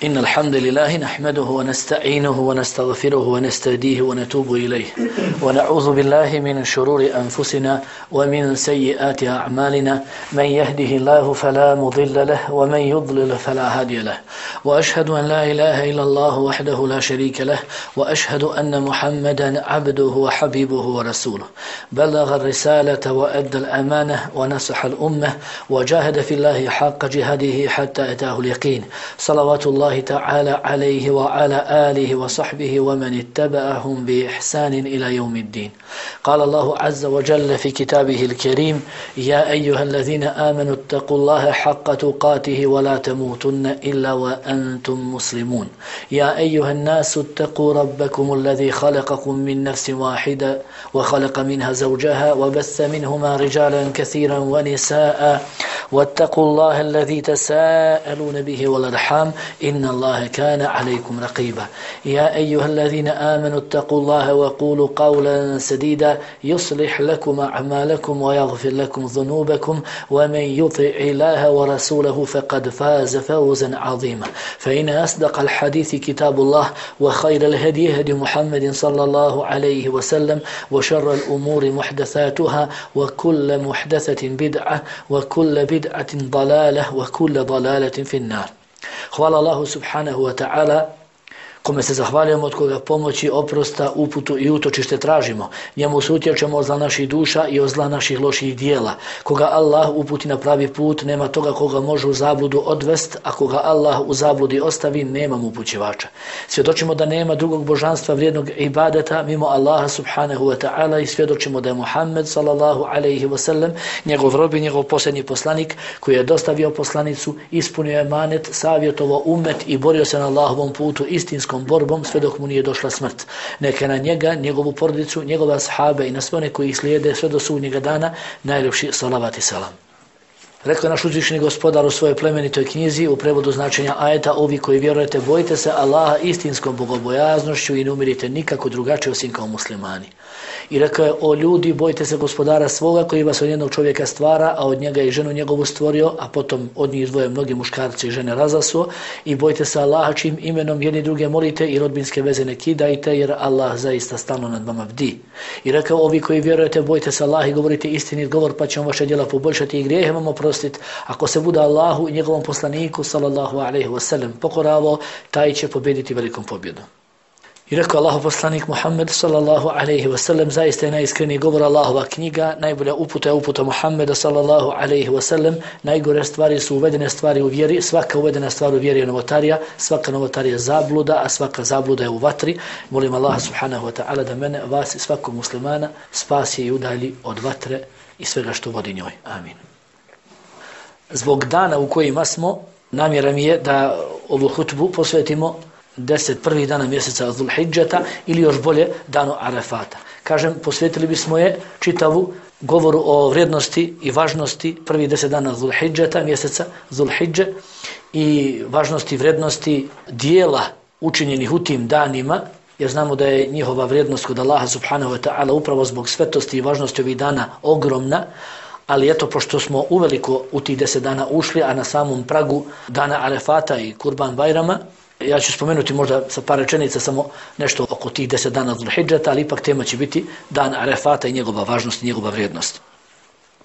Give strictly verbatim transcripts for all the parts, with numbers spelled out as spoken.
إن الحمد لله نحمده ونستعينه ونستغفره ونستهديه ونتوب إليه ونعوذ بالله من شرور أنفسنا ومن سيئات أعمالنا من يهده الله فلا مضل له ومن يضلل فلا هادي له وأشهد أن لا إله إلا الله وحده لا شريك له وأشهد أن محمدا عبده وحبيبه ورسوله بلغ الرسالة وأدى الأمانة ونصح الأمة وجاهد في الله حق جهاده حتى أتاه اليقين صلوات الله تعالى عليه وعلى آله وصحبه ومن اتبعهم بإحسان إلى يوم الدين. قال الله عز وجل في كتابه الكريم: يا أيها الذين آمنوا اتقوا الله حق تقاته ولا تموتن إلا وأنتم مسلمون. يا أيها الناس اتقوا ربكم الذي خلقكم من نفس واحدة وخلق منها زوجها وبث منهما رجالا كثيرا ونساء واتقوا الله الذي تساءلون به والأرحام إن الله كان عليكم رقيبا. يا أيها الذين آمنوا اتقوا الله وقولوا قولا سديدا يصلح لكم أعمالكم ويغفر لكم ذنوبكم ومن يطع الله ورسوله فقد فاز فوزا عظيما. فإن أصدق الحديث كتاب الله وخير الهدي هدي محمد صلى الله عليه وسلم وشر الأمور محدثاتها وكل محدثة بدعة وكل بدعة ضلالة وكل ضلالة في النار. Hvala Allahu subhanahu wa ta'ala, kome se zahvaljujemo, od koga pomoći, oprosta, uputu i utočište tražimo. Njemu se utječemo od zla naših duša i od zla naših loših dijela. Koga Allah uputi na pravi put, nema toga koga može u zabludu odvest, a koga Allah u zabludi ostavi, nema mu upućivača. Svjedočimo da nema drugog božanstva vrijednog ibadeta mimo Allaha subhanahu wa ta'ala i svjedočimo da je Muhammed sallallahu alaihi wa sallam njegov rob i njegov posljednji poslanik koji je dostavio poslanicu, ispunio je emanet, savjetovao umet i borio se na Allahovom putu istinskom borbom sve dok mu nije došla smrt. Neka na njega, njegovu porodicu, njegove ashabe i na sve one koji ih slijede sve do sudnjega dana najljepši salavat i salam. Rekao je naš uzvišeni gospodar u svojoj plemenitoj knjizi u prevodu značenja ajeta: ovi koji vjerujete, bojite se Allaha istinskom bogobojaznošću i ne umirite nikako drugačije osim kao muslimani. I rekao je: o ljudi, bojite se gospodara svoga koji vas od jednog čovjeka stvara, a od njega i ženu njegovu stvorio, a potom od njih dvoje mnogi muškarci i žene razasuo. I bojite se Allaha čim imenom jedni druge molite i rodbinske veze ne kidajte, jer Allah zaista stalno nad vama bdi. I rekao: ovi koji vjerujete, bojite se Allaha i govorite istinit govor, pa će vam vaše djela poboljšati i grijehe vam oprostiti. Ako se bude Allahu i njegovom poslaniku sallallahu alejhi ve sellem pokoravo, taj će pobjediti velikom pobjedom. I rekao Allahov poslanik Muhammed sallallahu alejhi ve sellem: zaista je najiskreniji govor Allahova knjiga, najbolja uputa je uputa Muhammeda sallallahu alejhi ve sellem, najgore stvari su uvedene stvari u vjeri, svaka uvedena stvar u vjeri je novotarija, svaka novotarija je zabluda, a svaka zabluda je u vatri. Molim Allaha subhanahu wa ta'ala da mene, vas i svakog muslimana spasi i udalji od vatre i svega što vodi njoj. Amin. Zbog dana u kojima smo, namjera mi je da ovu hutbu posvetimo deset prvih dana mjeseca Zulhidžeta ili još bolje danu Arefata. Kažem, posvetili bismo je čitavu govoru o vrijednosti i važnosti prvih deset dana Zulhidžeta, mjeseca Zulhidže, i važnosti i vrijednosti dijela učinjenih u tim danima, jer znamo da je njihova vrijednost kod Allaha subhanahu wa ta'ala upravo zbog svetosti i važnosti ovih dana ogromna. Ali eto, pošto smo uveliko u tih deset dana ušli, a na samom pragu dana Arefata i Kurban Bajrama, ja ću spomenuti možda sa par rečenica samo nešto oko tih deset dana Zulhidžeta, ali ipak tema će biti dan Arefata i njegova važnost i njegova vrijednost.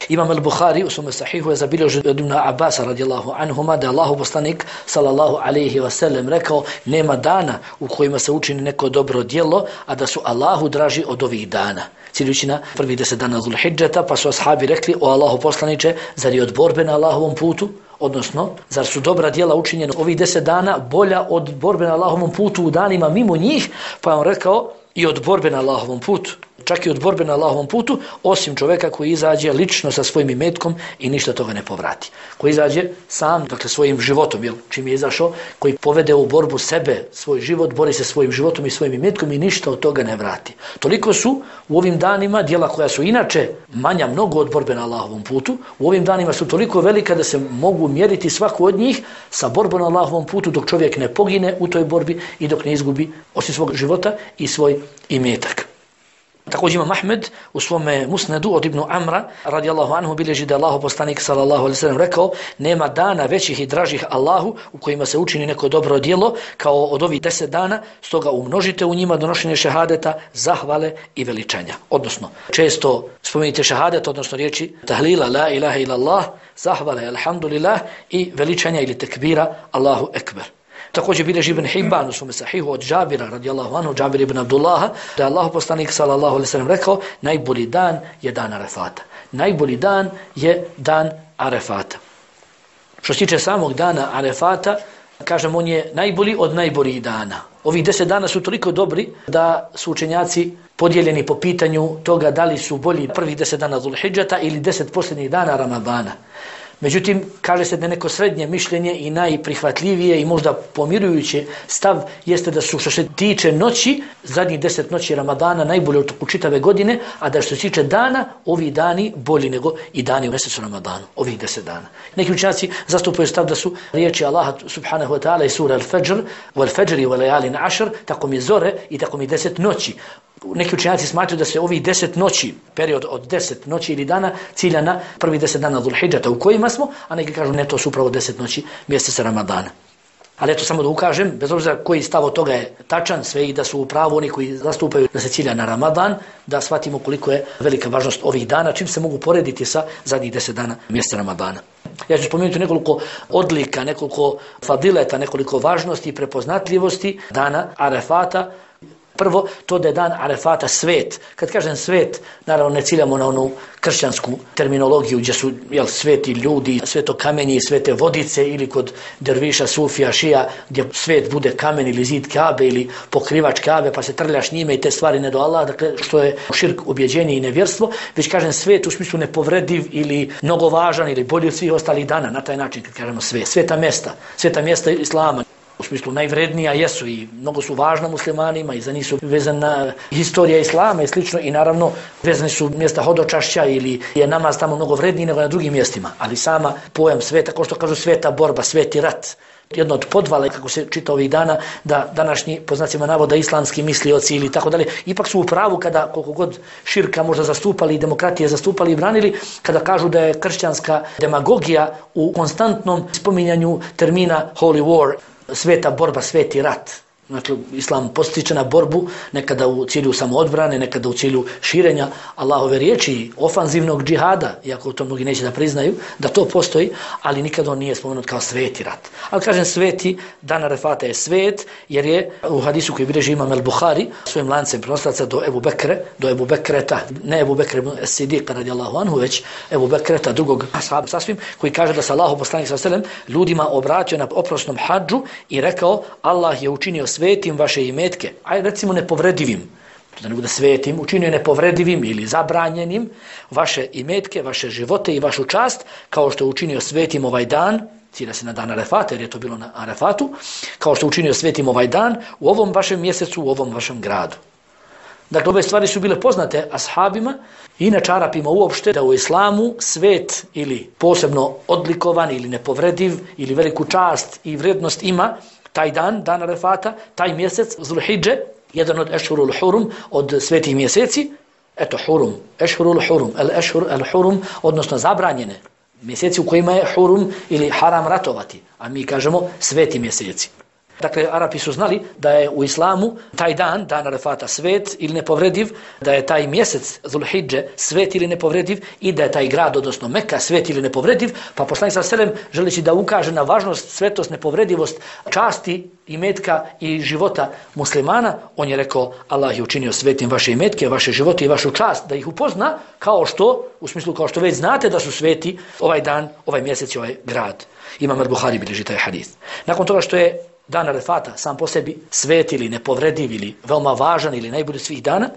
Imam al-Bukhari u svome sahihu je zabilježio od Ibn Abasa radijallahu anhuma da je Allahov poslanik sallallahu alejhi ve sellem rekao: nema dana u kojima se učini neko dobro djelo, a da su Allahu draži od ovih dana. Ciljući na prvih deset dana Zulhidžeta, pa su ashabi rekli: o Allahov poslaniče, zar je od borbe na Allahovom putu? Odnosno, zar su dobra djela učinjena ovih deset dana bolja od borbe na Allahovom putu u danima mimo njih? Pa je on rekao: i od borbe na Allahovom putu. Čak i od borbe na Allahovom putu, osim čovjeka koji izađe lično sa svojim imetkom i ništa toga ne povrati. Koji izađe sam, dakle svojim životom, jel, čim je izašao, koji povede u borbu sebe, svoj život, bori se svojim životom i svojim imetkom i ništa od toga ne vrati. Toliko su u ovim danima djela koja su inače manja mnogo od borbe na Allahovom putu, u ovim danima su toliko velika da se mogu mjeriti svaku od njih sa borbom na Allahovom putu dok čovjek ne pogine u toj borbi i dok ne izgubi osim svog života i svoj imetak. Također ima Ahmed u svome musnedu od Ibnu Amra radijallahu anhu bilježi da Allahu poslanik sallallahu alejhi ve sellem rekao: nema dana većih i dražih Allahu u kojima se učini neko dobro djelo kao od ovih deset dana, stoga umnožite u njima donošenje šehadeta, zahvale i veličanja. Odnosno, često spomenite šehadet, odnosno riječi tahlila la ilaha illallah, zahvale alhamdulillah i veličanja ili tekbira Allahu ekber. Također bilježi Ibn Hibban u svome sahihu od Džabira radijallahu anhu, Džabir ibn Abdullaha, da je Allahu poslanik sallallahu alejhi ve sellem rekao: najbolji dan je dan Arefata. Najbolji dan je dan Arefata. Što se tiče samog dana Arefata, kažem, on je najbolji od najboljih dana. Ovih deset dana su toliko dobri da su učenjaci podijeljeni po pitanju toga da li su bolji prvih deset dana Zulhidžeta ili deset posljednjih dana Ramadana. Međutim, kaže se da neko srednje mišljenje i najprihvatljivije i možda pomirujuće stav jeste da su, što se tiče noći, zadnjih deset noći Ramadana najbolje u čitave godine, a da što se tiče dana, ovi dani bolji nego i dani u mjesecu Ramadanu, ovih deset dana. Neki učenjaci zastupaju stav da su riječi Allaha subhanahu wa ta'ala i sura Al-Fajr, wal-Fajri wal-Layalin Ashr, tako mi zore i tako mi deset noći. Neki učenjaci smatraju da se ovih deset noći, period od deset noći ili dana, cilja na prvi deset dana Zulhidžeta u kojima smo, a neki kažu ne, to su upravo deset noći mjeseca Ramadana. Ali eto samo da ukažem, bez obzira koji stav od toga je tačan, sve i da su u pravu oni koji zastupaju da se cilja na Ramadan, da shvatimo koliko je velika važnost ovih dana, čim se mogu porediti sa zadnjih deset dana mjeseca Ramadana. Ja ću spomenuti nekoliko odlika, nekoliko fadileta, nekoliko važnosti i prepoznatljivosti dana Arefata. Prvo, to da je dan Arefata svet. Kad kažem svet, naravno ne ciljamo na onu kršćansku terminologiju gdje su jel, sveti ljudi, sveto kamenje i svete vodice ili kod derviša, sufija, šija, gdje svet bude kamen ili zid Kabe ili pokrivač Kabe pa se trljaš njime i te stvari ne do Allah, dakle što je širk, ubjeđenje i nevjerstvo, već kažem svet u smislu nepovrediv ili mnogo važan ili bolji od svih ostalih dana, na taj način kad kažemo svet. Sveta mjesta, sveta mjesta Islama. U smislu najvrednija jesu i mnogo su važna muslimanima i za njih su vezana historija Islama i slično i naravno vezani su mjesta hodočašća ili je namaz tamo mnogo vredniji nego na drugim mjestima. Ali sama pojam sveta, kao što kažu sveta borba, sveti rat, jedno od podvale, kako se čita ovih dana, da današnji, po znacima navoda, islamski mislioci ili tako dalje, ipak su u pravu kada, koliko god širka možda zastupali i demokratije zastupali i branili, kada kažu da je kršćanska demagogija u konstantnom spominjanju termina Holy War, sveta borba, sveti rat. Znači, Islam postiče na borbu, nekada u cilju samoodbrane, nekada u cilju širenja Allahove riječi, ofanzivnog džihada, iako to mnogi neće da priznaju, da to postoji, ali nikada on nije spomenut kao sveti rat. Ali kažem sveti, dan Arefata je svet, jer je u hadisu koji bilježi imam el-Buhari, svojim lancem prenoslaca do Ebu Bekre, do Ebu Bekreta, ne Ebu Bekre es-Siddiq radijallahu anhu, već Ebu Bekreta, drugog ashaba sasvim, koji kaže da se Allahu poslanik sallallahu alejhi ve sellem ljudima obratio na oprosnom hadžu i rekao: Allah je učinio svetim vaše imetke, aj recimo nepovredivim, da ne bude svetim, učinio nepovredivim ili zabranjenim vaše imetke, vaše živote i vašu čast, kao što je učinio svetim ovaj dan, cilja se na dan Arefata, jer je to bilo na Arefatu, kao što je učinio svetim ovaj dan u ovom vašem mjesecu, u ovom vašem gradu. Dakle, ove stvari su bile poznate ashabima i inače Arapima uopšte, da u islamu svet ili posebno odlikovan ili nepovrediv ili veliku čast i vrijednost ima taj dan, dan Arefata, taj mjesec Zulhidže, jedan od Ešhurul Hurum, od svetih mjeseci, eto Hurum, Ešhurul Hurum, el Ešhur, el Hurum, odnosno zabranjene mjeseci u kojima je Hurum ili haram ratovati, a mi kažemo sveti mjeseci. Dakle, Arapi su znali da je u islamu taj dan, dan Arefata, svet ili nepovrediv, da je taj mjesec Zulhidže svet ili nepovrediv i da je taj grad, odnosno Meka, svet ili nepovrediv, pa poslanik sallallahu alejhi ve sellem želeći da ukaže na važnost, svetost, nepovredivost časti imetka i života muslimana, on je rekao: Allah je učinio svetim vaše imetke, vaše živote i vašu čast, da ih upozna kao što, u smislu kao što već znate da su sveti ovaj dan, ovaj mjesec i ovaj grad. Imam el-Buhari bilježi taj hadis. Nakon toga što je dan Arefata sam po sebi svet ili nepovrediv ili veoma važan ili najbolji svih dana,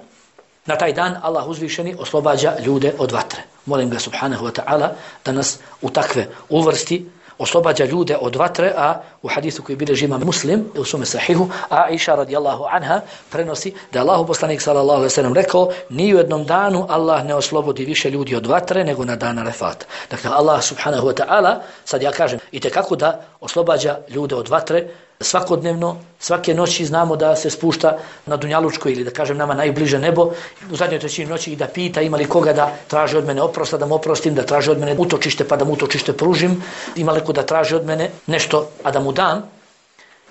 na taj dan Allah uzvišeni oslobađa ljude od vatre. Molim ga subhanahu wa ta'ala da nas u takve uvrsti, oslobađa ljude od vatre, a u hadisu koji bilježi imam Muslim u svome sahihu, Aisha radijallahu anha prenosi da je Allahu poslanik sallallahu alejhi ve sellem rekao: ni u jednom danu Allah ne oslobodi više ljudi od vatre nego na dan Arefata. Dakle, Allah subhanahu wa ta'ala, sad ja kažem, i tekako da oslobađa ljude od vatre, svakodnevno, svake noći znamo da se spušta na dunjalučko ili da kažem nama najbliže nebo u zadnjoj trećini noći i da pita ima li koga da traži od mene oprosta, da mu oprostim, da traži od mene utočište pa da mu utočište pružim, ima li ko da traži od mene nešto a da mu dam.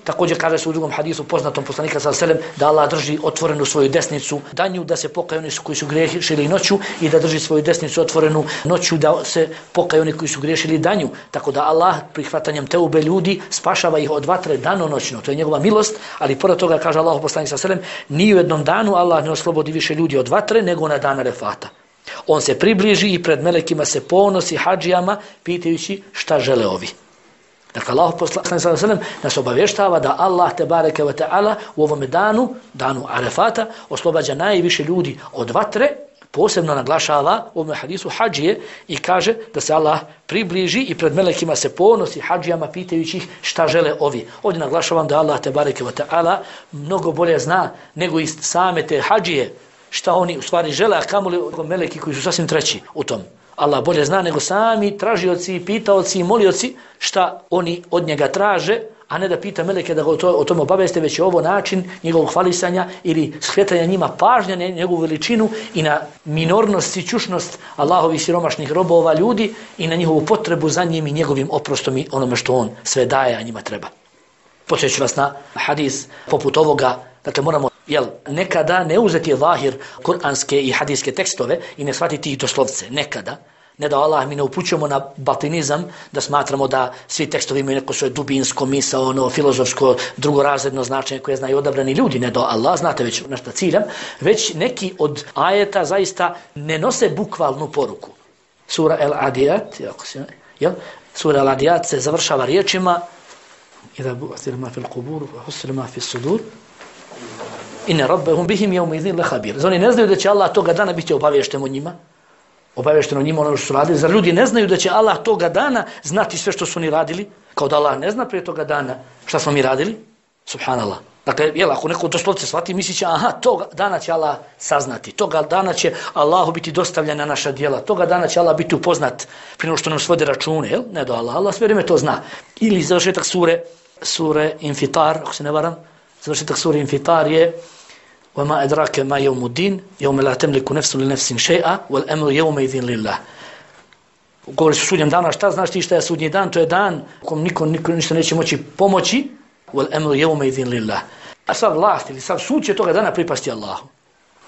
Također kaže se u drugom hadisu poznatom poslanika sallallahu alejhi ve sellem da Allah drži otvorenu svoju desnicu danju da se pokaju oni koji su griješili noću i da drži svoju desnicu otvorenu noću da se pokaju oni koji su griješili danju. Tako da Allah prihvatanjem teube ljudi spašava ih od vatre danonoćno. To je njegova milost, ali pored toga kaže Allah poslanik sallallahu alejhi ve sellem ni u jednom danu Allah ne oslobodi više ljudi od vatre nego na dan Arefata. On se približi i pred melekima se ponosi hadžijama pitajući šta žele ovi. Dakle, Allah poslanik sallallahu alejhi ve sellem nas obavještava da Allah te bareke ve taala u ovom danu, danu Arefata, oslobađa najviše ljudi od vatre, posebno naglašava u ovom hadisu hadžije i kaže da se Allah približi i pred melekima se ponosi hadžijama pitajući ih šta žele ovi. Ovdje naglašavam da Allah te bareke ve taala mnogo bolje zna nego i same te hadžije šta oni u stvari žele, a kamoli meleki koji su sasvim treći u tom. Allah bolje zna nego sami tražioci, pitaoci i molioci šta oni od njega traže, a ne da pita meleke da ga o, to, o tome obaveste, već je ovo način njegovog hvalisanja ili shvatanja njima pažnja na njegovu veličinu i na minornost i čušnost Allahovih siromašnih robova ljudi i na njihovu potrebu za njim i njegovim oprostom i onome što on sve daje, a njima treba. Podsjeću vas na hadis poput ovoga, dakle moramo jel, nekada ne uzeti zahir kuranske i hadijske tekstove i ne shvatiti ih doslovce, nekada. Ne da Allah mi ne upućujemo na batinizam, da smatramo da svi tekstovi imaju neko svoje dubinsko, misaono, filozofsko, drugorazredno značenje koje znaju odabrani ljudi, ne da Allah, znate već na šta ciljam, već neki od ajeta zaista ne nose bukvalnu poruku. Sura El-Adiyat, jel? Sura El-Adiyat se završava riječima Iza bu'athir ma fil qubur wa husir ma fis sudur inna rabbahum bihim yawma idhin lakhabir. Oni ne znaju da će Allah toga dana biti obaviješten o njima. Obavješteno njima ono što su radili. Zar ljudi ne znaju da će Allah toga dana znati sve što su oni radili? Kao da Allah ne zna prije toga dana šta smo mi radili? Subhanallah. Dakle, jel, ako neko doslovce shvati, misliće, aha, toga dana će Allah saznati, toga dana će Allahu biti dostavljena naša djela, toga dana će Allah biti upoznat prije nego što nam svode račune, jel? Ne do Allah, Allah sve vrijeme to zna. Ili završetak sure, sure Infitar, ako se ne varam, završetak sure Infitar je وَمَا أَدْرَاكَ مَا يَوْمُ الدِّينِ يَوْمَ لَا تَمْلِكُ نَفْسٌ لِنَفْسٍ شَيْئًا وَالْأَمْرُ يَوْمَئِذٍ لِلَّهِ. Govori se o sudnjem danu, šta znaš ti šta je sudnji dan? To je dan u kojem niko, niko ništa neće moći pomoći. وَالْأَمْرُ يَوْمَئِذٍ لِلَّهِ. A sav vlast ili sav sud će toga dana pripasti Allahu.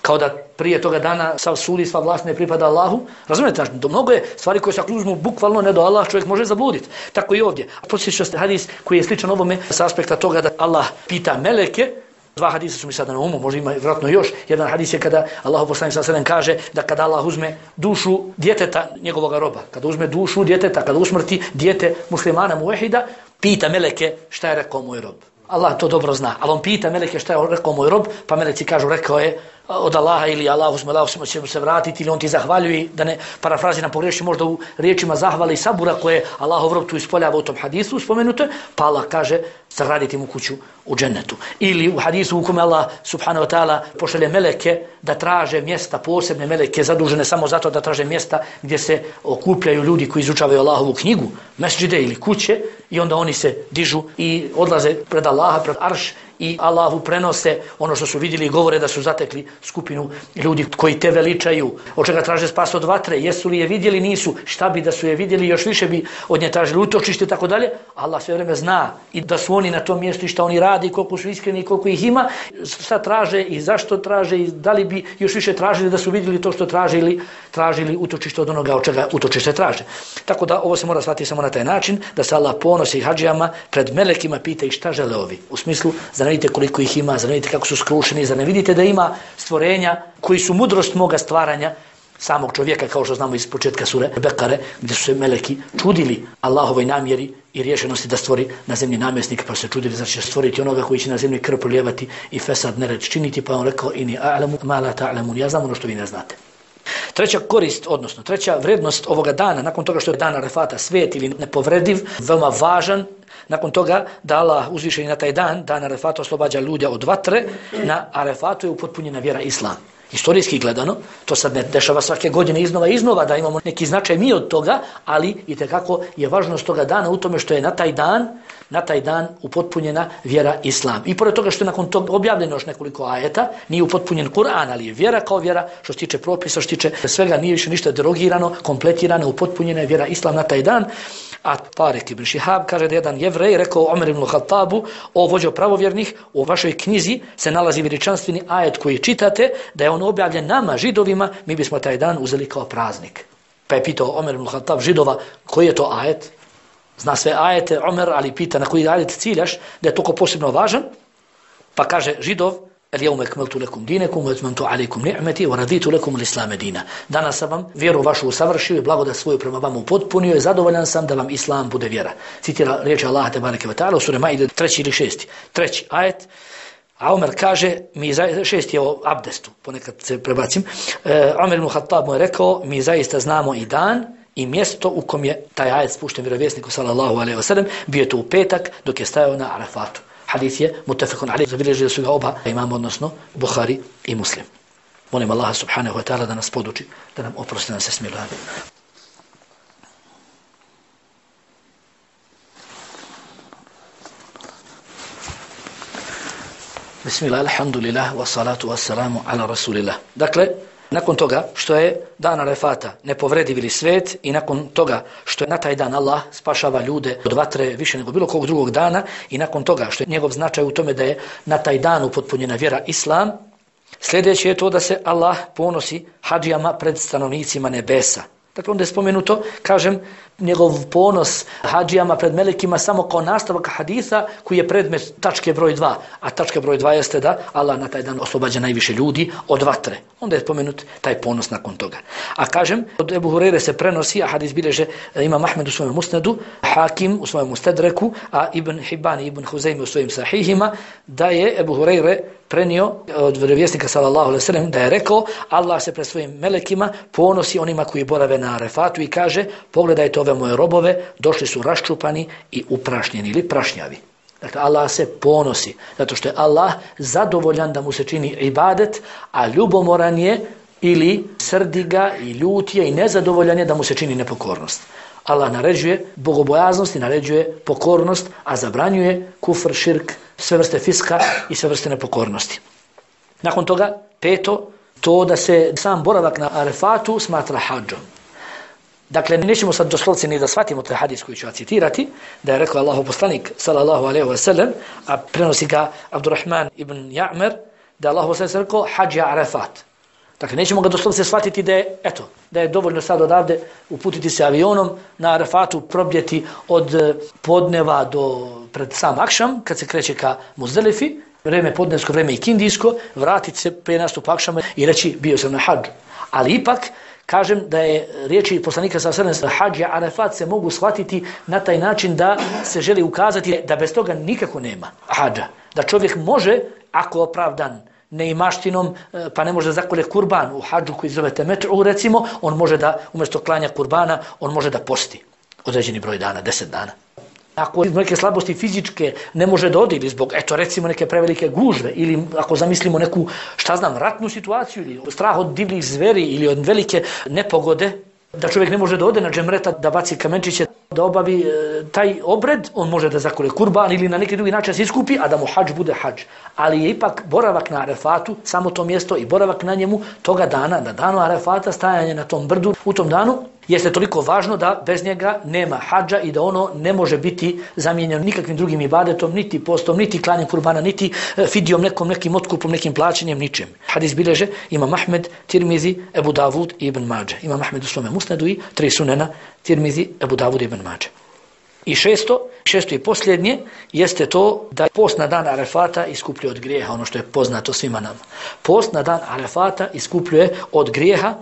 Kao da prije toga dana sav sud i sva vlast ne pripada Allahu. Razumijete? Do mnogo je stvari koje se ako uzmu bukvalno ne do Allah čovjek može zabluditi. Tako i ovdje. Podsjeća se hadis koji je sličan ovome s aspekta toga da Allah pita meleke. Dva hadisa su mi sada na umu, možda ima vjerojatno još. Jedan hadis je kada Allah poslanik sallallahu alejhi ve sellem kaže da kada Allah uzme dušu djeteta njegovog roba, kada uzme dušu djeteta, kada usmrti dijete muslimana muvehida, pita meleke šta je rekao moj rob. Allah to dobro zna, ali on pita meleke šta je rekao moj rob, pa meleci kažu rekao je od Allaha ili Allah uzme, Allah će mu se vratiti ili on ti zahvaljuje, da ne parafraziram pogreši možda u riječima zahvale i sabura koje Allahov rob tu ispoljava u tom hadisu spomenuto, pa Allah kaže sagraditi mu kuću u džennetu. Ili u hadisu u kome Allah subhanahu wa ta'ala pošalje meleke da traže mjesta, posebne meleke zadužene samo zato da traže mjesta gdje se okupljaju ljudi koji izučavaju Allahovu knjigu, mesdžide ili kuće, i onda oni se dižu i odlaze pred Allaha, pred arš, i Allahu prenose ono što su vidjeli i govore da su zatekli skupinu ljudi koji te veličaju, od čega traže spas od vatre, jesu li je vidjeli, nisu, šta bi da su je vidjeli, još više bi od nje tražili utočište i tako dalje. Allah sve vrijeme zna i da su oni na tom mjestu i šta oni radi, koliko su iskreni i koliko ih ima, šta traže i zašto traže i da li bi još više tražili da su vidjeli to što tražili, tražili utočište od onoga od čega utočište traže. Tako da ovo se mora shvatiti samo na taj način, da se Allah ponosi hadžijama pred melekima pita ih šta žele ovi. U smislu, zar ne vidite koliko ih ima, zar ne vidite kako su skrušeni, zar ne vidite da ima stvorenja koji su mudrost moga stvaranja samog čovjeka, kao što znamo iz početka sure Bekare, gdje su se meleki čudili Allahovoj namjeri i rješenosti da stvori na zemlji namjesnika, pa se čudili da će stvoriti onoga koji će na zemlji krv prolijevati i fesad nered činiti, pa on rekao ini a'lamu ma la ta'lamun, ja znam ono što vi ne znate. Treća korist, odnosno treća vrednost ovoga dana, nakon toga što je dan Arefata svet ili nepovrediv, veoma važan, nakon toga da Allah uzvišeni na taj dan, dan Arefata oslobađa ljude od vatre, na Arefatu je upotpunjena vjera Islam. Historijski gledano, to sad ne dešava svake godine iznova i iznova da imamo neki značaj mi od toga, ali itekako je važnost toga dana u tome što je na taj dan, na taj dan upotpunjena vjera Islam. I pored toga što je nakon toga objavljeno još nekoliko ajeta, nije upotpunjen Kur'an, ali je vjera kao vjera, što se tiče propisa, što se tiče svega, nije više ništa derogirano, kompletirano, upotpunjena je vjera Islam na taj dan. A Tarek ibn Šihab kaže da jedan jevrej rekao Omer ibn Khattabu, o vođo pravovjernih, u vašoj knjizi se nalazi veličanstveni ajet koji čitate, da je on objavljen nama, židovima, mi bismo taj dan uzeli kao praznik. Pa je pitao Omer ibn Khattab židova, koji je to ajet? Zna sve ajete Omer, ali pita na koji ajet ciljaš, da je toliko posebno važan. Pa kaže židov, اليوم أكملت لكم دينكم وأتممت عليكم نعمتي ورضيت لكم الإسلام دينا. Danas sam vam vjeru vašu usavršio i blagodat svoju prema vama upotpunio i zadovoljan sam da vam Islam bude vjera. Citira riječ Allaha te bareke ve taala u suri Maide treći ili šesti. Treći ajet. A Omer kaže, mi za, šesti je o abdestu, ponekad se prebacim. E, Omer ibn Khattab mu je rekao, mi zaista znamo i dan i mjesto u kom je taj ajet spušten vjerovjesniku sallallahu alejhi ve sellem, bio je to u petak dok je stajao na Arafatu. Hadis je mutafekun alejhi, zabilježili su ga oba imam, odnosno Buhari i Muslim. Molim Allaha subhanahu wa ta'ala da nas poduči, da nam oprosti, da nam se smiluje. Bismillah, alhamdulillah, wa salatu wa salamu ala rasulillah. Dakle, nakon toga što je dan Arefata nepovredivi svet i nakon toga što je na taj dan Allah spašava ljude od vatre više nego bilo kog drugog dana i nakon toga što je njegov značaj u tome da je na taj dan upotpunjena vjera Islam, sljedeće je to da se Allah ponosi hadžijama pred stanovnicima nebesa. Dakle, onda je spomenuto, kažem, njegov ponos hadžijama pred melekima samo kao nastavak hadisa koji je predmet tačke broj dva. A tačka broj dva jeste da Allah na taj dan oslobađa najviše ljudi od vatre. Onda je spomenut taj ponos nakon toga. A kažem, od Ebu Hurere se prenosi, a hadis bilježe Imam Ahmed u svojem musnedu, Hakim u svojem mustedreku, a Ibn Hibban i Ibn Huzeymi u svojim sahihima, da je Ebu Hurere prenio od vjerovjesnika sallallahu alejhi ve sellem da je rekao, Allah se pred svojim melekima ponosi onima koji borave na Arefatu i kaže, pogledajte ove moje robove, došli su raščupani i uprašnjeni ili prašnjavi. Dakle, Allah se ponosi, zato što je Allah zadovoljan da mu se čini ibadet, a ljubomoran je ili srdi ga i ljut je i nezadovoljan je da mu se čini nepokornost. Allah naređuje bogobojaznost i naređuje pokornost, a zabranjuje kufr, širk, sve vrste fiska i sve vrste nepokornosti. Nakon toga, peto, to da se sam boravak na Arefatu smatra hadžom. Dakle, nećemo sad doslovce ni da shvatimo taj hadis koji ću ja citirati, da je rekao Allahov poslanik sallallahu alejhi ve sellem, a prenosi ga Abdurrahman ibn Ja'mer, da je Allahov poslanik rekao hadžja Arefat. Dakle, nećemo ga doslovce shvatiti da je, eto, da je dovoljno sad odavde uputiti se avionom na Arefatu, probjeti od podneva do pred sam akšam, kad se kreće ka Muzdelifi, vreme podnevsko, vreme ikindijsko, vratiti se prije nastupa akšama i reći bio sam na hadžu. Ali ipak, kažem da je riječi poslanika sallallahu alejhi ve sellem hadž i Arefat se mogu shvatiti na taj način da se želi ukazati da bez toga nikako nema hadža. Da čovjek može, ako opravdan neimaštinom, pa ne može da zakolje kurban u hadžu koji zove temet'u, recimo, on može da umjesto klanja kurbana, on može da posti određeni broj dana, deset dana. Ako neke slabosti fizičke ne može da ode ili zbog, eto recimo neke prevelike gužve ili ako zamislimo neku, šta znam, ratnu situaciju ili strah od divljih zveri ili od velike nepogode, da čovjek ne može da ode na džemreta, da baci kamenčiće, da obavi e, taj obred, on može da zakole kurban ili na neki drugi način se iskupi, a da mu hadž bude hadž. Ali je ipak boravak na Arefatu, samo to mjesto i boravak na njemu toga dana, na danu Arefata, stajanje na tom brdu u tom danu, jeste toliko važno da bez njega nema hadža i da ono ne može biti zamijenjeno nikakvim drugim ibadetom, niti postom, niti klanjem kurbana, niti fidijom, nekom, nekim otkupom, nekim plaćanjem, ničem. Hadis bilježe Imam Ahmed, Tirmizi, Ebu Davud i Ibn Mađe. Imam Ahmed u svome musnedu i tri sunena, Tirmizi, Ebu Davud i Ibn Mađe. I šesto, šesto i posljednje, jeste to da post na dan Arefata iskupljuje od grijeha, ono što je poznato svima nama. Post na dan Arefata iskupljuje od grijeha,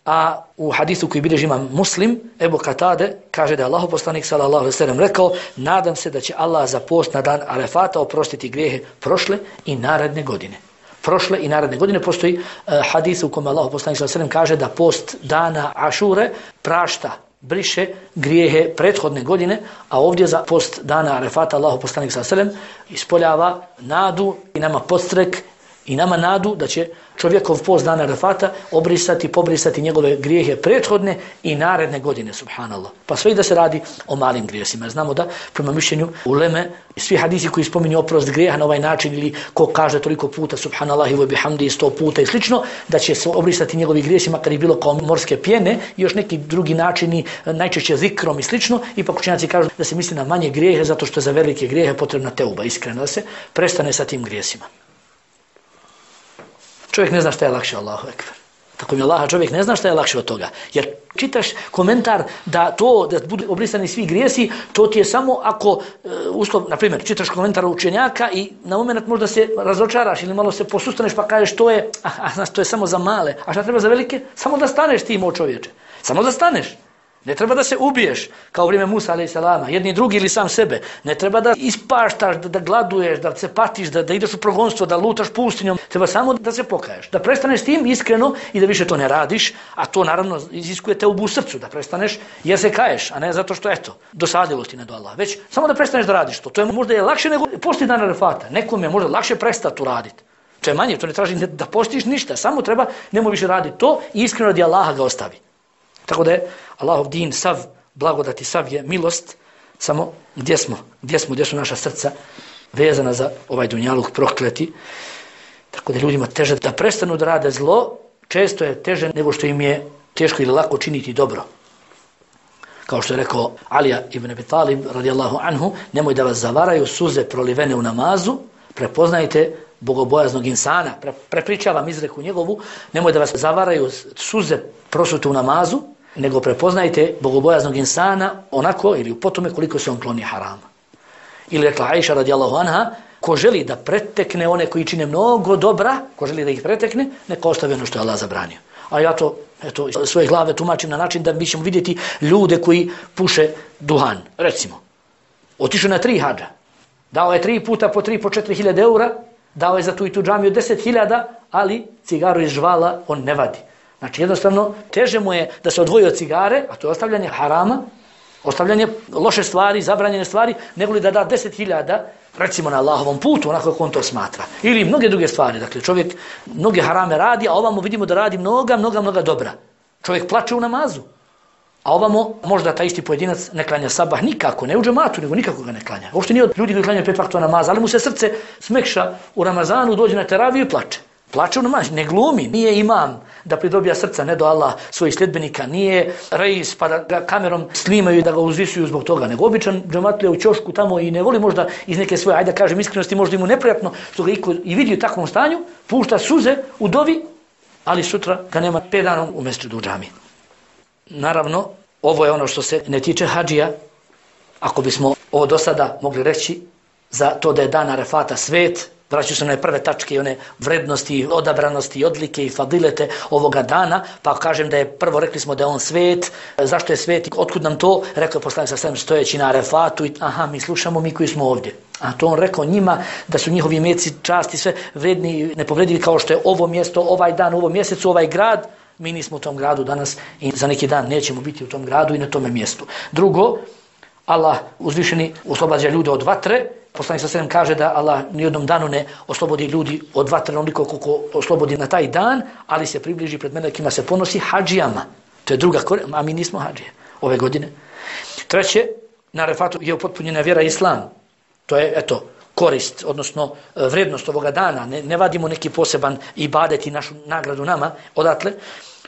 a u hadisu koji bilježi Imam Muslim, Ebu Katade kaže da je Allahov poslanik sallallahu alejhi ve sellem rekao, nadam se da će Allah za post na dan Arefata oprostiti grijehe prošle i naredne godine. Prošle i naredne godine postoji uh, hadis u kome Allahov poslanik sallallahu alejhi ve sellem kaže da post dana Ašure prašta, briše grijehe prethodne godine, a ovdje za post dana Arefata Allahov poslanik sallallahu alejhi ve sellem ispoljava nadu i nama podstrek i nama nadu da će čovjekov post dana Arafata obrisati, pobrisati njegove grijehe prethodne i naredne godine, subhanallah. Pa sve i da se radi o malim grijesima. Znamo da, prema mišljenju uleme, svi hadisi koji spominju oprost grijeha na ovaj način ili ko kaže toliko puta, subhanallah i wa bihamdi sto puta i slično, da će se obrisati njegovi grijesima kad je bilo kao morske pjene i još neki drugi načini, najčešće zikrom i slično. Ipak učenjaci kažu da se misli na manje grijehe zato što je za velike grijehe potrebna teuba, iskreno da se prestane sa tim grijesima. Čovjek ne zna šta je lakše, Allahu ekber. Tako mi Allaha, čovjek ne zna šta je lakše od toga. Jer čitaš komentar da to, da budu obrisani svi grijesi, to ti je samo ako, e, uslov, na primjer, čitaš komentar učenjaka i na moment možda se razočaraš ili malo se posustaneš pa kažeš to je, a, a, to je samo za male. A šta treba za velike? Samo da staneš ti, moj čovječe. Samo da staneš. Ne treba da se ubiješ, kao vrijeme Musa alejhi selama, jedni drugi ili sam sebe. Ne treba da ispaštaš, da, da gladuješ, da se patiš, da, da ideš u progonstvo, da lutaš pustinjom. Treba samo da se pokaješ, da prestaneš s tim iskreno i da više to ne radiš, a to naravno iziskuje teubu u srcu, da prestaneš jer se kaješ, a ne zato što eto, dosadilo ti ne do Allaha. Već samo da prestaneš da radiš to. To je možda je lakše nego posti dana Arafata. Nekom je možda lakše prestati uraditi. To je manje, to ne traži da postiš ništa, samo treba nemoj više raditi to i iskreno radi Allaha ga ostavi. Tako da je Allahov din sav, blagodati sav je milost, samo gdje smo, gdje smo, gdje su naša srca vezana za ovaj dunjaluk prokleti. Tako da ljudima teže da prestanu da rade zlo, često je teže nego što im je teško ili lako činiti dobro. Kao što je rekao Alija ibn Abi Talib radijallahu anhu, nemoj da vas zavaraju suze prolivene u namazu, prepoznajte bogobojaznog insana, Pre, prepričavam izreku njegovu, nemoj da vas zavaraju suze prosute u namazu, nego prepoznajte bogobojaznog insana onako ili u potome koliko se on kloni harama. Ili rekla Aisha radijallahu anha, ko želi da pretekne one koji čine mnogo dobra, ko želi da ih pretekne, neka ostavi ono što je Allah zabranio. A ja to eto, svoje glave tumačim na način da mi ćemo vidjeti ljude koji puše duhan. Recimo, otišao na tri hadža, dao je tri puta po tri, po četiri hiljade eura, dao je za tu i tu džamiju deset hiljada, ali cigaru iz žvala on ne vadi. Znači jednostavno teže mu je da se odvoji od cigare, a to je ostavljanje harama, ostavljanje loše stvari, zabranjene stvari, nego li da da deset hiljada, recimo na Allahovom putu, onako kako on to smatra. Ili mnoge druge stvari. Dakle, čovjek mnoge harame radi, a ovamo vidimo da radi mnoga, mnoga, mnoga dobra. Čovjek plače u namazu. A ovamo možda taj isti pojedinac ne klanja sabah nikako, ne u džematu, nego nikako ga ne klanja. Uopšte nije od ljudi koji klanjaju pet vaktova namaza, ali mu se srce smekša u Ramazanu, dođe na teraviju i plače. Plače u namaz, ne glumi, nije imam da pridobija srca, ne do Allah svojih sljedbenika, nije reis pa da ga kamerom snimaju i da ga uzvisuju zbog toga, nego običan džematlija u ćošku tamo i ne voli možda iz neke svoje, ajde da kažem iskrenosti, možda mu neprijatno što ga iko i vidi u takvom stanju, pušta suze u dovi, ali sutra ga nema pet dana u mesdžidu u džami. Naravno, ovo je ono što se ne tiče hadžija, ako bismo ovo do sada mogli reći za to da je dan Arafata svet, vraćaju se na prve tačke i one vrednosti, odabranosti, odlike i fadilete ovoga dana, pa kažem da je prvo rekli smo da je on svet, zašto je svet, otkud nam to, rekao je poslanik sa svem stojeći na Arafatu i aha, mi slušamo mi koji smo ovdje. A to on rekao njima da su njihovi meci časti sve vredni i nepovredivi kao što je ovo mjesto, ovaj dan, ovo mjesecu, ovaj grad, mi nismo u tom gradu danas i za neki dan nećemo biti u tom gradu i na tome mjestu. Drugo, Allah uzvišeni oslobađa ljude od vatre. Poslanik sallallahu alejhi ve sellem kaže da Allah nijednom danu ne oslobodi ljudi od vatre onoliko koliko oslobodi na taj dan, ali se približi pred melekima, se ponosi hadžijama. To je druga, a mi nismo hadžije ove godine. Treće, na Arafatu je upotpunjena vjera islam. To je, eto, korist, odnosno vrednost ovoga dana. Ne, ne vadimo neki poseban ibadet i našu nagradu nama odatle.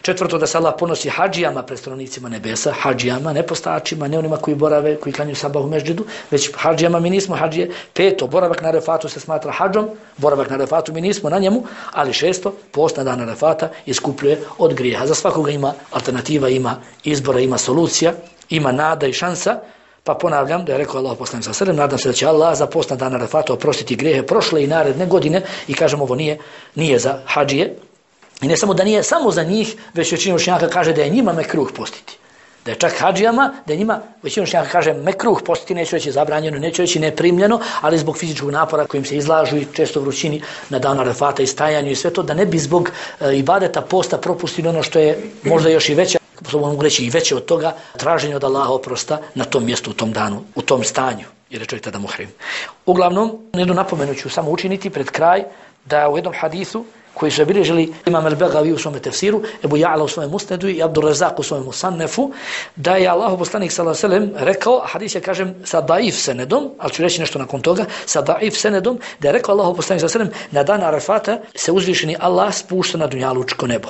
Četvrto, da se Allah ponosi hadžijama pred stanovnicima nebesa, hadžijama, ne postačima, ne onima koji borave, koji klanjuju sabah u mesdžidu, već hadžijama, mi nismo hadžije. Peto, boravak na Arafatu se smatra hadžom, boravak na Arafatu mi nismo na njemu, ali šesto, post na dan Arafata iskupljuje od grijeha. Za svakoga ima alternativa, ima izbora, ima solucija, ima nada i šansa, pa ponavljam da je rekao Allah poslanik sallallahu alejhi ve sellem, nadam se da će Allah za post na dan Arafata oprostiti grijehe prošle i naredne godine i kažem ovo nije, nije za hadžije. I ne samo da nije samo za njih, već većina učenjaka kaže da je njima mekruh postiti. Da je čak hadžijama, da je njima, većina učenjaka kaže mekruh postiti, neće reći zabranjeno, neće reći neprimljeno, ali zbog fizičkog napora kojim se izlažu i često vrućini na dan Arafata i stajanju i sve to, da ne bi zbog e, ibadeta posta propustili ono što je možda još i veće, mogu reći i veće od toga, traženje od Allaha oprosta na tom mjestu, u tom danu, u tom stanju. jer je čovjek tada muhrim. Uglavnom, jednu napomenu ću samo učiniti pred kraj da u jednom hadisu koji su obilježili Imam al-Begavi u svome tefsiru, Ebu Ja'la u svome musnedu i Abdur Razak u svome musannefu, da je Allahu poslanik sallallahu alejhi ve sellem rekao, a hadis je kažem sa daif senedom, ali ću reći nešto nakon toga, sa daif senedom, da je rekao Allahu poslanik sallallahu alejhi ve sellem na dan Arafata se uzvišeni Allah spušta na dunjalučko nebo.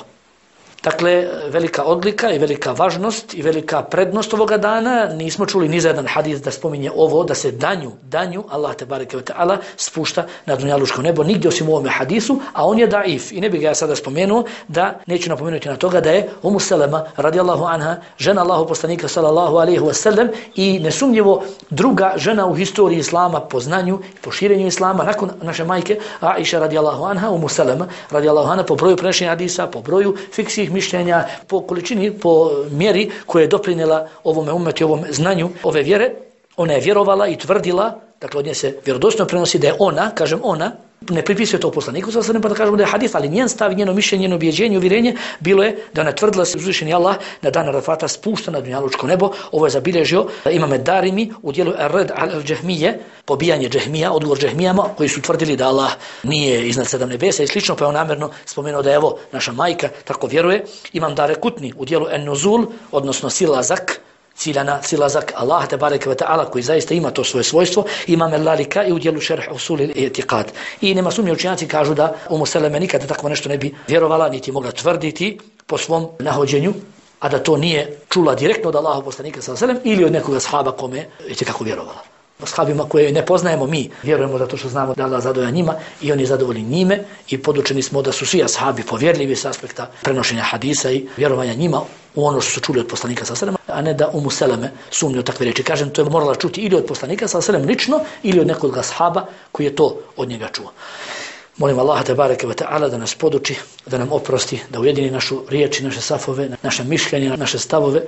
Dakle, velika odlika i velika važnost i velika prednost ovoga dana. Nismo čuli ni za jedan hadis da spominje ovo, da se danju, danju, Allah te bareke ve ta'ala, spušta na dunjalučko nebo, nigdje osim u ovome hadisu, a on je daif. I ne bih ga ja sada spomenuo, da neću napomenuti na toga da je Umu Selema, radijallahu anha, žena Allahu poslanika, sallallahu alaihi wa sallam, i nesumnjivo druga žena u historiji Islama po znanju i po širenju Islama, nakon naše majke, Aisha, radijallahu anha, Umu Selema, radijallahu anha, po broju prešenja hadisa, po broju fiksih mišljenja, po količini, po mjeri koje je doprinjela ovome umetu i ovom znanju ove vjere. Ona je vjerovala i tvrdila, dakle od nje se vjerodostojno prenosi da je ona, kažem ona, ne pripisuje to poslaniku, sada pa da kažemo da je hadis, ali njen stav, njeno mišljenje, njeno ubjeđenje, uvjerenje bilo je da ona tvrdila se uzvišeni Allah na dan Arafata spušta na dunjalučko nebo. Ovo je zabilježio Imam Darimi u dijelu Ar-Rad al-Džahmije, pobijanje Džahmija, odgovor Džahmijama koji su tvrdili da Allah nije iznad sedam nebesa i slično, pa je on namjerno spomenuo da je evo naša majka tako vjeruje. Imam Darekutni u dijelu En-Nuzul, odnosno silazak, ciljana, silazak Allah te bareke ve ta'ala koji zaista ima to svoje svojstvo. Imam el-Lalika i u dijelu Šerh Usul il-I'tiqad. I nema sumnje, učenjaci kažu da Umu Seleme nikada tako nešto ne bi vjerovala, niti mogla tvrditi po svom nahođenju, a da to nije čula direktno od Allahu poslanika sallallahu alejhi ve sellem ili od nekog ashaba kome je kako vjerovala. Ashabima koje ne poznajemo mi, vjerujemo zato što znamo da Allah zadovolja njima i oni zadovoljni njime, i podučeni smo da su svi ashabi povjerljivi s aspekta prenošenja hadisa i vjerovanja njima u ono što su čuli od poslanika sallallahu alejhi ve sellem, a ne da Umu Seleme sumnju u takve riječi. Kažem, to je morala čuti ili od poslanika sallallahu alejhi ve sellem lično ili od nekog ashaba koji je to od njega čuo. Molim Allaha te bareke ve ta'ala da nas poduči, da nam oprosti, da ujedini našu riječi, naše safove, naše mišljenje, naše stavove,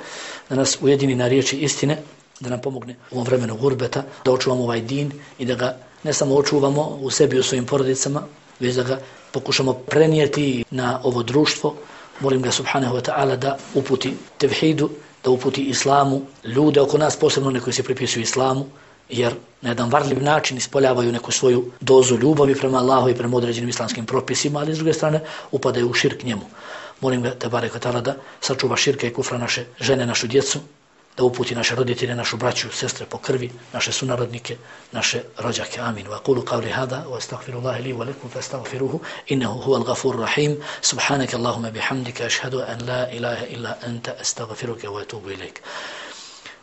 da nas ujedini na riječi istine, da nam pomogne u ovom vremenu gurbeta, da očuvamo ovaj din i da ga ne samo očuvamo u sebi i u svojim porodicama, već da ga pokušamo prenijeti na ovo društvo. Molim ga subhanahu wa ta'ala da uputi tevhidu, da uputi islamu, ljude oko nas, posebno one koji se pripisuju islamu, jer na jedan varljiv način ispoljavaju neku svoju dozu ljubavi prema Allahu i prema određenim islamskim propisima, ali s druge strane upadaju u širk njemu. Molim ga te bareke ta'ala da sačuva širka i kufra naše žene, našu djecu, da uputi naše roditelje, našu braću, sestre po krvi, naše sunarodnike, naše rođake. Amin. Wa qulu qawli hada wa astaghfirullaha li wa lakum fastaghfiruhu innahu huwal ghafurur rahim. Subhanaka Allahumma bihamdika ashhadu an la ilaha illa anta astaghfiruka wa atubu ilayk.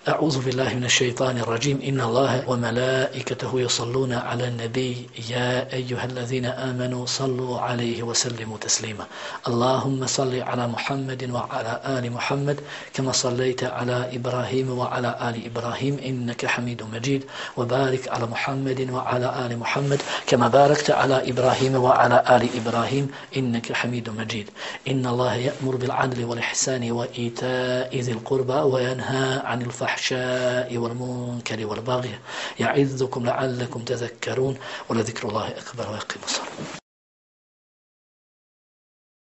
أعوذ بالله من الشيطان الرجيم إن الله وملائكته يصلون على النبي يا أيها الذين آمنوا صلوا عليه وسلموا تسليما اللهم صل على محمد وعلى آل محمد كما صليت على إبراهيم وعلى آل إبراهيم إنك حميد مجيد وبارك على محمد وعلى آل محمد كما باركت على إبراهيم وعلى آل إبراهيم إنك حميد مجيد إن الله يأمر بالعدل والإحسان وإيتاء ذي القربى وينهى عن الفحشاء الفحشاء والمنكر والبغي يعظكم لعلكم تذكرون ولذكر الله أكبر ويقيم الصلاة.